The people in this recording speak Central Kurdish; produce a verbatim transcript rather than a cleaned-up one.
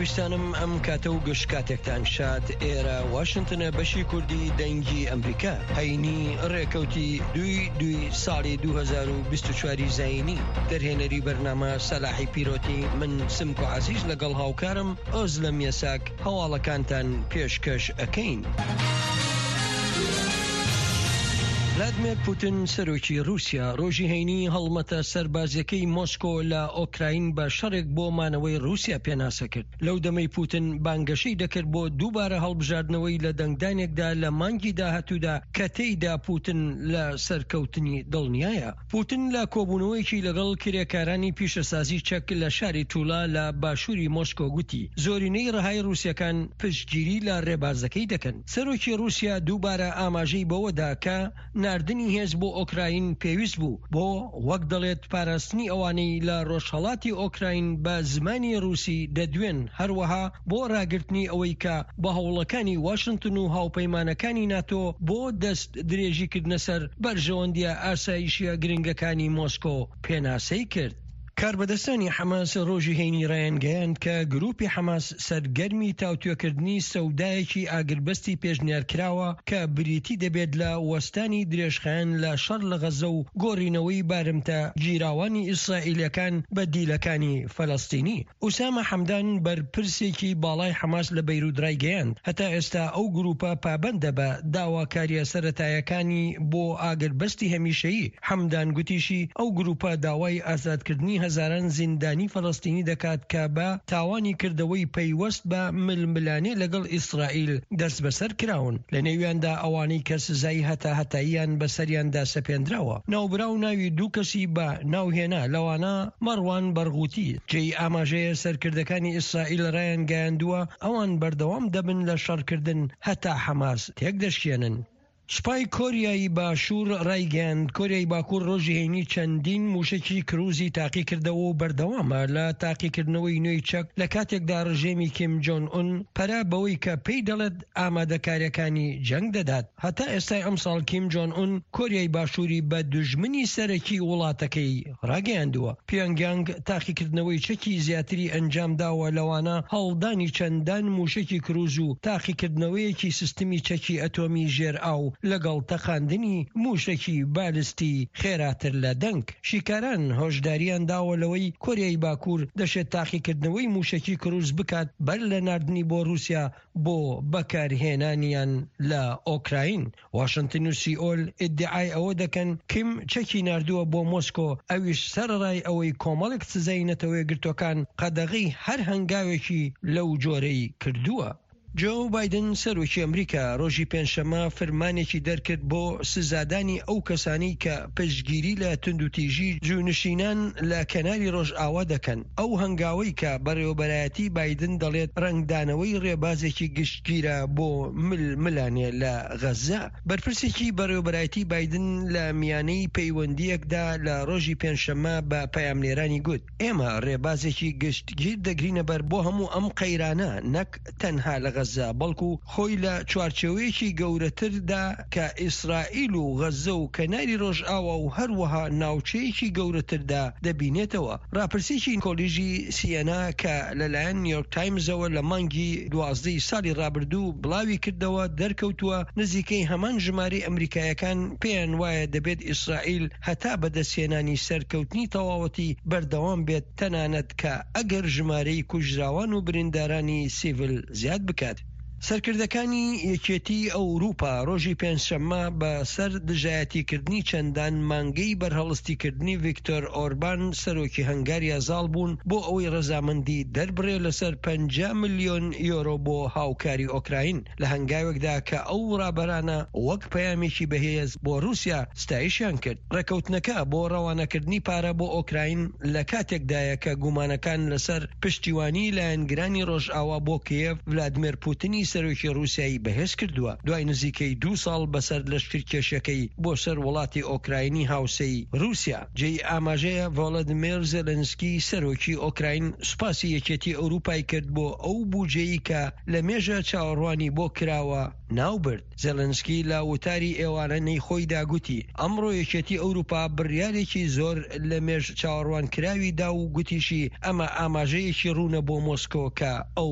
ویستانم ئەم کاتە و گشت کاتێکتان شاد. ئێرە واشنتنە، بەشی کوردی دەنگی ئەمریکا. هەینی ڕێکەوتی دووی دووی ساڵی دوو هەزار و بیست و چوار زایینی. دەرهێنەری بەرنامە سەلاحی پیرۆتی، من سمکۆ عەزیز لەگەڵ هاوکارم ئۆزلەم یەساک هەواڵەکانتان پێشکەش ئەکەین. ڤلادیمێر پوتین، سەرۆکی رووسیا، ڕۆژی هەینی هەڵمەتە سەربازیەکەی مۆسکۆ لە ئۆکراین بە شەڕێک بۆ مانەوەی رووسیا پێناسە کرد، لەو دەمەی پوتن بانگەشەی دەکرد بۆ دووبارە هەڵبژاردنەوەی لە دەنگدانێکدا لە مانگی داهاتوودا کە تێیدا پوتن لە سەرکەوتنی دڵنیایە. پوتن لە کۆبوونەوەیەکی لەگەڵ کرێکارانی پیشەسازی چەک لە شاری تولا لە باشووری مۆسکۆ گوتی زۆرینەی ڕەهای رووسەکان پشتگیری لە ڕێبازەکەی دەکەن. سەرۆکی رووسیا دووبارە ئاماژەی بەوەدا کە ناردنی هێز بۆ ئۆکراین پێویست بوو بۆ، وەک دەڵێت، پاراستنی ئەوانەی لە ڕۆژهەڵاتی ئۆکراین بە زمانی رووسی دەدوێن، هەروەها بۆ ڕاگرتنی ئەوەی کە بە هەوڵەکانی واشنتن و هاوپەیمانەکانی ناتۆ بۆ دەست درێژیکردنە سەر بەرژەوەندیە ئاسایشیە گرنگەکانی مۆسکۆ پێناسەی کرد. کاربەدەستانی حەماس ڕۆژی هەینی ڕایانگەیاند کە گروپی حەماس سەرگەرمی تاوتوێکردنی سەودایەکی ئاگربەستی پێشنیارکراوە کە بریتی دەبێت لە وەستانی درێژخایەن لە شەڕ لە غەزە و گۆڕینەوەی بارمتە گیراوانی ئیسرائیلەکان بە دیلەکانی فەلەستینی. ئوسامە حەمدان، بەرپرسێکی باڵای حەماس لە بەیروت، ڕایگەیاند هەتا ئێستا ئەو گروپە پابەندە بە داواکاریە سەتایەکانی بۆ ئاگربەستی هەمیشەیی. حەمدان گوتیشی ئەو گروپە داوای ئازادکردنی هەزاران زیندانی فەلەستینی دەکات کە بە تاوانی کردەوەی پەیوەست بە ململانێ لەگەڵ ئیسرائیل دەست بەسەر کراون، لە نێویاندا ئەوانەی کە سزای هەتا هەتاییان بەسەریاندا سەپێنراوە. ناوبراو ناوی دوو کەسی بە ناوهێنا، لەوانە مەڕوان بەرغوتی. جێی ئاماژەیە سەرکردەکانی ئیسرائیل ڕایانگەیاندووە ئەوان بەردەوام دەبن لە شەڕکردن هەتا حەماس تێک دەشکێنن. سوپای کۆریای باشوور ڕایگەیاند کۆریای باکوور ڕۆژی هەینی چەندین موشکی کروزی تاقیکردەوە و بەردەوامە لە تاقیکردنەوەی نوێی چەک، لە کاتێکدا ڕژێمی کیم جۆن ئون پەرە بەوەی کە پێی دەڵێت ئامادەکاریەکانی جەنگ دەدات. هەتا ئێستای ئەمساڵ کیم جۆن ئون کۆریای باشووری بە دوژمنی سەرەکی وڵاتەکەی ڕاگەیاندووە. پیۆنگیانگ تاقیکردنەوەی چەکی زیاتری ئەنجام داوە، لەوانە هەڵدانی چەندان موشکی کروز و تاقیکردنەوەیەکی سیستمی چەکی ئەتۆمی ژێر ئاو لەگەڵ تەقاندنی موشکی بالستی خێراتر لە دەنگ. شیکاران هۆشداریان داوە لەوەی کۆریای باکوور دەشێت تاقیکردنەوەی موشکی کروز بکات بەر لە ناردنی بۆ رووسیا بۆ بەکارهێنانیان لە ئۆکراین. واشنتن و سیئۆل ئیدعای ئەوە دەکەن کیم چەکی ناردووە بۆ مۆسکۆ، ئەویش سەرەڕای ئەوەی کۆمەڵێک سزای نەتەوە یەکگرتووەکان قەدەغەی هەر هەنگاوێکی لەو جۆرەی کردووە. جۆ بایدن، سەرۆکی ئەمریکا، ڕۆژی پێنجشەممە فرمانێکی دەرکرد بۆ سزادانی ئەو کەسانی کە پشتگیری لە توندوتیژی جوونشینان لە کەناری ڕۆژئاوا دەکەن، ئەو هەنگاوەی کە بەڕێوەبەرایەتی بایدن دەڵێت ڕەنگدانەوەی ڕێبازێکی گشتگیرە بۆ ململانێ لە غەزە. بەرپرسێکی بەڕێوەبەرایەتی بایدن لە میانەی پەیوەندیەکدا لە ڕۆژی پێنجشەممە بە پەیامنێرانی گوت: ئێمە ڕێبازێکی گشتگیر دەگرینە بەر بۆ هەموو ئەم قەیرانە، نەک تەنها لە غەزە، بەڵکو خۆی لە چوارچێوەیەکی گەورەتردا کە ئیسرائیل و غەزە و کەناری ڕۆژئاوا و هەروەها ناوچەیەکی گەورەتردا دەبینێتەوە. ڕاپرسیکی کۆلیژی سیەنا کە لەلایەن نیویۆرک تایمزەوە لە مانگی دوازدەی ساڵی ڕابردوو بڵاوی کردەوە، دەرکەوتووە نزیکەی هەمان ژمارەی ئەمریکایەکان پێیان وایە دەبێت ئیسرائیل هەتا بەدەستهێنانی سەرکەوتنی تەواوەتی بەردەوام بێت، تەنانەت کە ئەگەر ژمارەی کوژراوان و بریندارانی سیڤل زیاد بکات. سەرکردەکانی یەکێتی ئەوروپا ڕۆژی پێنجشەممە بە سەر دژایەتیکردنی چەندان مانگەی بەرهەڵستیکردنی ڤیکتۆر ئۆربان، سەرۆکی هەنگاریا، زاڵ بوون بۆ ئەوەی ڕەزامەندی دەربڕێ لەسەر پەنجا ملیۆن یۆرۆ بۆ هاوکاری ئۆکراین، لە هەنگاوێکدا کە ئەو ڕابەرانە وەک پەیامێکی بەهێز بۆ رووسیا ستایشیان کرد. ڕێکەوتنەکە بۆ ڕەوانەکردنی پارە بۆ ئۆکراین لە کاتێکدایە کە گومانەکان لەسەر پشتیوانی لایەنگرانی ڕۆژئاوا بۆ کیێڤ ڤلادیمێر پوتنی سەرۆکی ڕووسیای بەهێز کردووە دوای نزیکەی دوو ساڵ بەسەر لەشکرکێشیەکەی بۆ سەر وڵاتی ئۆکراینی هاوسێی ڕووسیا. جێی ئاماژەیە ڤۆلۆدیمێر زێلێنسکی سەرۆکی ئۆکراین سوپاسی یەکێتی ئەوروپای کرد بۆ ئەو بودجەیەی کە لە مێژە چاوەڕوانی بۆ کراوە ناوبرد. زێلێنسکی لە وتاری ئێوارانەی خۆیدا گوتی ئەمڕۆ یەکێتی ئەوروپا بڕیارێکی زۆر لە مێژ چاوەڕوانکراوی دا و گوتیشی ئەمە ئاماژەیەکی ڕوونە بۆ مۆسکۆ کە ئەو